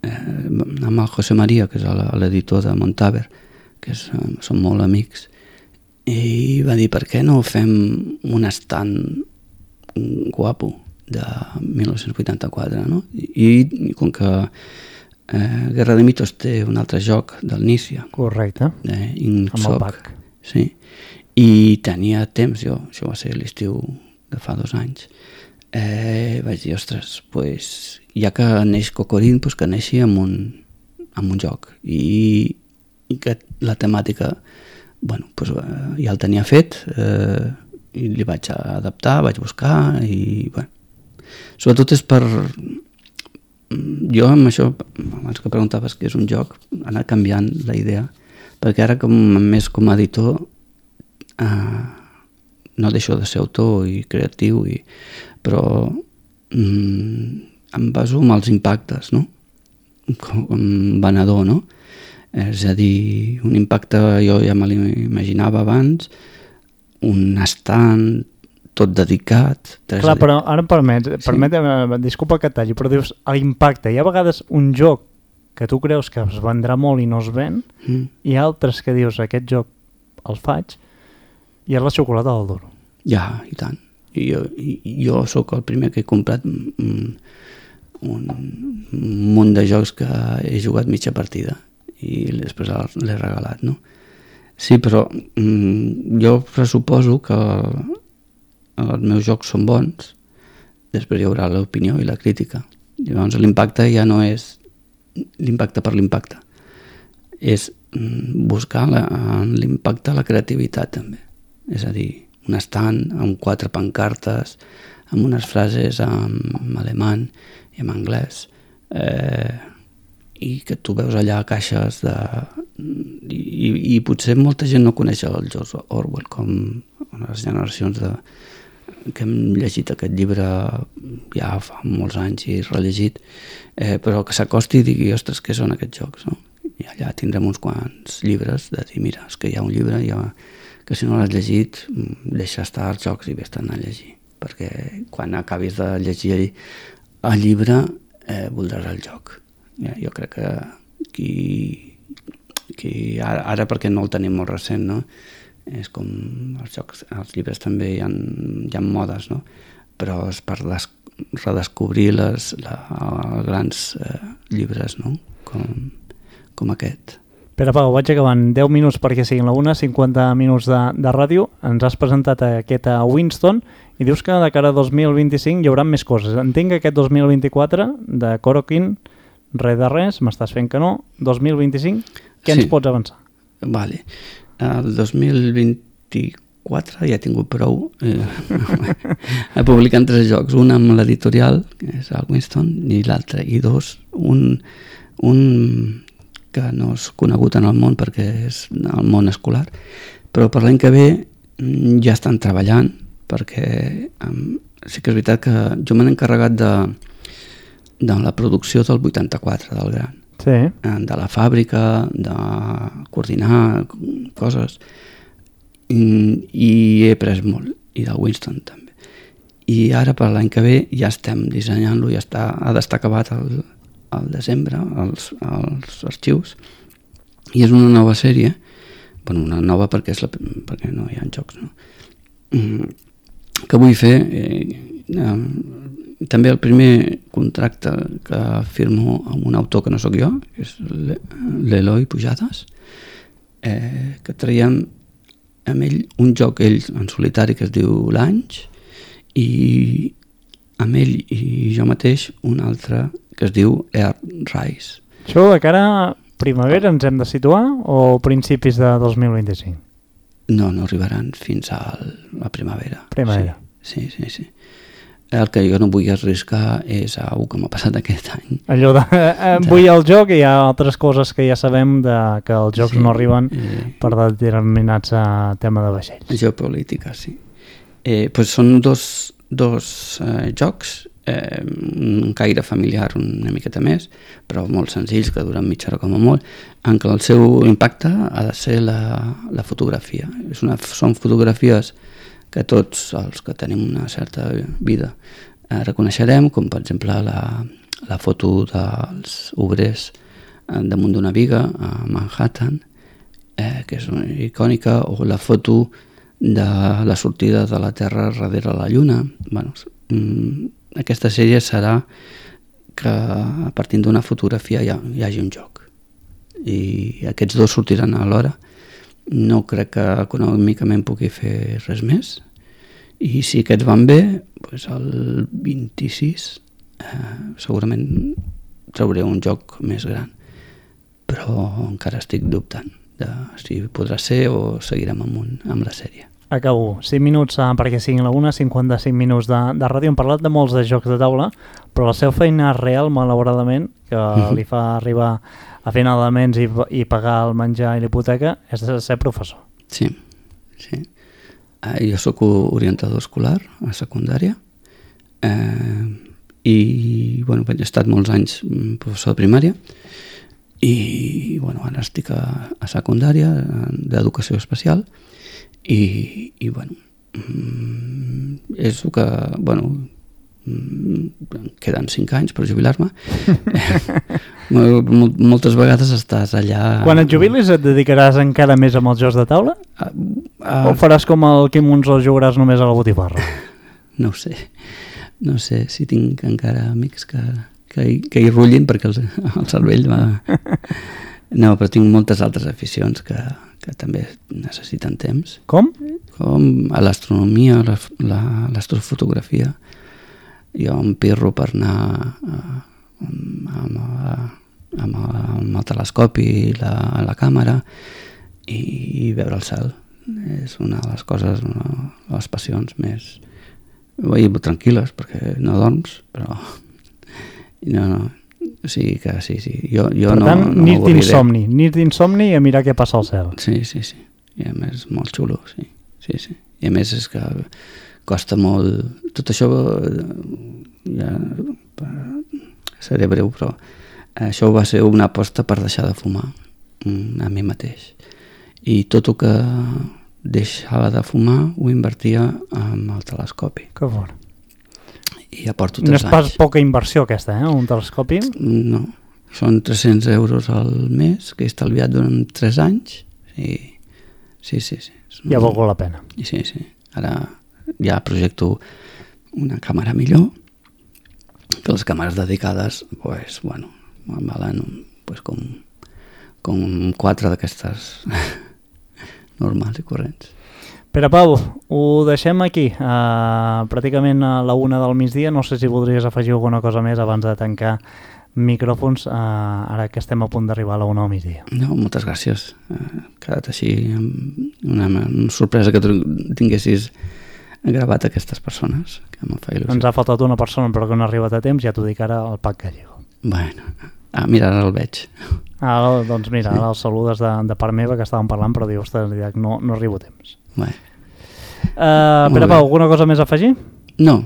amb el José María, que és l'editor de Montaver, que són molt amics, i va dir, per què no fem un estand guapo de 1984, no? I com que Guerra de Mitos té un altre joc del Nícia. Correcte, amb el pack. Sí, i tenia temps, això va ser l'estiu de fa 2 anys. Vaig dir, ostres, ja que neix Cocorín, que neixi amb un joc. I que la temàtica ja el tenia fet, i li vaig adaptar, vaig buscar, i sobretot és per... Jo amb això, abans que preguntaves què és un joc, anar canviant la idea, perquè ara més com a editor no deixo de ser autor i creatiu, però em baso en els impactes, no? Com venedor, no? És a dir, un impacte jo ja me l'imaginava abans, un estand tot dedicat. Clar, però ara permet, disculpa que et talli, però dius l'impacte. Hi ha vegades un joc que tu creus que es vendrà molt i no es ven, i altres que dius, aquest joc el faig, i és la xocolata del duro. Ja, i tant. Jo sóc el primer que he comprat un munt de jocs que he jugat mitja partida i després l'he regalat, no? Sí, però jo pressuposo que els meus jocs són bons, després hi haurà l'opinió i la crítica. Llavors l'impacte ja no és l'impacte per l'impacte, és buscar l'impacte a la creativitat també. És a dir, un estand amb 4 pancartes, amb unes frases en alemany i en anglès, i que tu veus allà caixes de... I potser molta gent no coneix el George Orwell, com les generacions que hem llegit aquest llibre ja fa molts anys i rellegit, però que s'acosti i digui, ostres, què són aquests jocs, no? I allà tindrem uns quants llibres de dir, mira, és que hi ha un llibre que si no l'has llegit deixa estar els jocs i vés-te'n a llegir, perquè quan acabis de llegir el llibre voldràs el joc. Jo crec que ara perquè no el tenim molt recent, no? És com els jocs, els llibres també hi ha modes, no? Però és per redescobrir els grans llibres, no? Com aquest. Pere Pau, vaig acabant. 10 minuts perquè siguin la 1, 50 minuts de ràdio. Ens has presentat aquest a Winston i dius que de cara a 2025 hi haurà més coses. Entenc que aquest 2024 de Coroquin, res de res, m'estàs fent que no. 2025, què ens pots avançar? Vale. El 2024 ja he tingut prou publicant 3 jocs, un amb l'editorial, que és el Winston, i l'altre, i 2, un que no és conegut en el món perquè és el món escolar, però per l'any que ve ja estan treballant, perquè sí que és veritat que jo m'he encarregat de la producció del 84 del Gran, sí. De la fàbrica, de coordinar coses, i he après molt, i del Winston també. I ara per l'any que ve ja estem dissenyant-lo, ha d'estar acabat al desembre, els arxius, i és una nova sèrie, bueno, una nova perquè no hi ha jocs, no? Que vull fer també el primer contracte que firmo amb un autor que no sóc jo, que és l'Eloi Pujades, que traiem amb ell un joc, ell en solitari, que es diu L'Anys, i amb ell i jo mateix un altre que es diu Earthrise. Això de cara a primavera ens hem de situar o principis de 2025? No arribaran fins a la primavera. Primavera. Sí. El que jo no vull arriscar és algo que m'ha passat aquest any. Allò de vull el joc i hi ha altres coses que ja sabem que els jocs no arriben per determinats tema de vaixells. Geopolítica, sí. Pues són dos jocs, un caire familiar una miqueta més, però molt senzills, que duren mitja hora com a molt, en què el seu impacte ha de ser la fotografia. Són fotografies que tots els que tenim una certa vida reconeixerem, com per exemple la foto dels obrers damunt d'una viga a Manhattan, que és icònica, o la foto de la sortida de la Terra darrere la Lluna. Bueno, aquesta sèrie serà que a partir d'una fotografia hi hagi un joc, i aquests dos sortiran alhora. No crec que econòmicament pugui fer res més, i si aquests van bé, doncs el 26 segurament trauré un joc més gran, però encara estic dubtant de si podrà ser o seguirem amb la sèrie. Acabo. 5 minuts perquè siguin la 1, 55 minuts de ràdio. Hem parlat de molts de jocs de taula, però la seva feina real, malauradament, que li fa arribar a final de mes i pagar el menjar i l'hipoteca, és de ser professor. Sí. Jo soc orientador escolar a secundària, i he estat molts anys professor de primària, i ara estic a secundària d'educació especial, i és el que queden 5 anys per jubilar-me. Moltes vegades estàs allà... Quan et jubilis et dedicaràs encara més amb els jocs de taula? O faràs com el Quim Monzó, jugaràs només a la botifarra? No ho sé si tinc encara amics que hi rullin, perquè el cervell va... No, però tinc moltes altres aficions que també necessiten temps. Com? Com a l'astronomia, l'astrofotografia. Jo em pirro per anar amb el telescopi i la càmera i veure el cel. És una de les coses, una de les passions més tranquil·les, perquè no dorms, però O sigui que sí. Jo per no, tant, no nit d'insomni i a mirar què passa al cel. Sí. I a més, molt xulo, sí. I a més és que costa molt... Tot això, ja seré breu, però això va ser una aposta per deixar de fumar a mi mateix. I tot el que deixava de fumar ho invertia en el telescopi. Que fort. I ja porto 3 anys. No és pas poca inversió aquesta, un telescopi? No, són 300 euros al mes que he estalviat durant 3 anys i sí. Ja ha valgut la pena. Sí. Ara ja projecto una càmera millor, que les càmeres dedicades, pues, bueno, valen pues, com 4 d'aquestes normals i corrents. Pere Pau, ho deixem aquí, pràcticament a la 1 del migdia. No sé si voldries afegir alguna cosa més abans de tancar micròfons, ara que estem a punt d'arribar a la 1 del migdia. No, moltes gràcies. Ha quedat així una sorpresa que tu tinguessis gravat aquestes persones, que em fa il·lusió. Ens ha faltat una persona però que no ha arribat a temps, ja t'ho dic ara, el Pac Gallego. Bueno, mira, ara el veig. Doncs mira, ara el saludes de part meva, que estàvem parlant, però dius, no arribo a temps. Pere Pau, alguna cosa més a afegir? No.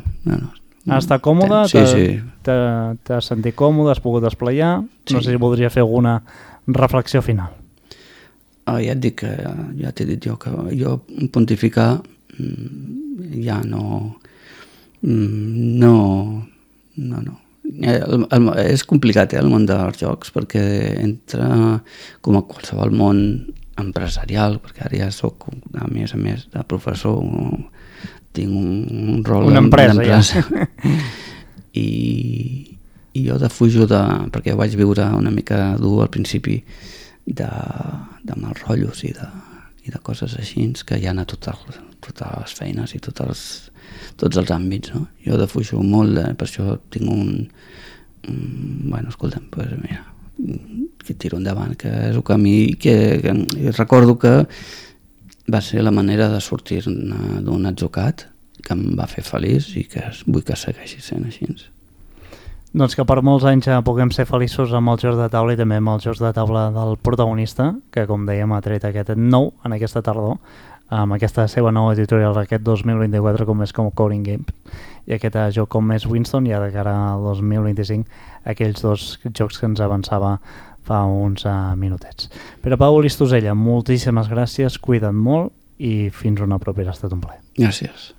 Has estat còmode? Sí. T'has sentit còmode, has pogut desplegar? Sí. No sé si voldria fer alguna reflexió final. Ja et dic que, ja t'he dit jo, que jo pontificar ja no. És complicat, el món dels jocs, perquè entra com a qualsevol món empresarial, perquè ara ja soc, a més de professor, tinc un rol d'empresa. I jo defujo perquè ho vaig viure una mica dur al principi de mals rotllos i de coses així que hi ha a totes les feines i tots els àmbits, no? Jo defujo molt, per això tinc bueno, escolta'm, pues mira, que tiro endavant, que és el camí que recordo que va ser la manera de sortir d'un atzucac que em va fer feliç i que vull que segueixi sent així. Doncs que per molts anys puguem ser feliços amb els jocs de taula i també amb els jocs de taula del protagonista, que com dèiem ha tret aquest nou en aquesta tardor, amb aquesta seva nova editorial aquest 2024 com és com Coding Game i aquest joc com és Winston, ja de cara al 2025 aquells 2 jocs que ens avançava fa uns minutets. Pere Pau Listosella, moltíssimes gràcies, cuida't molt i fins una propera, ha estat un plaer. Gràcies.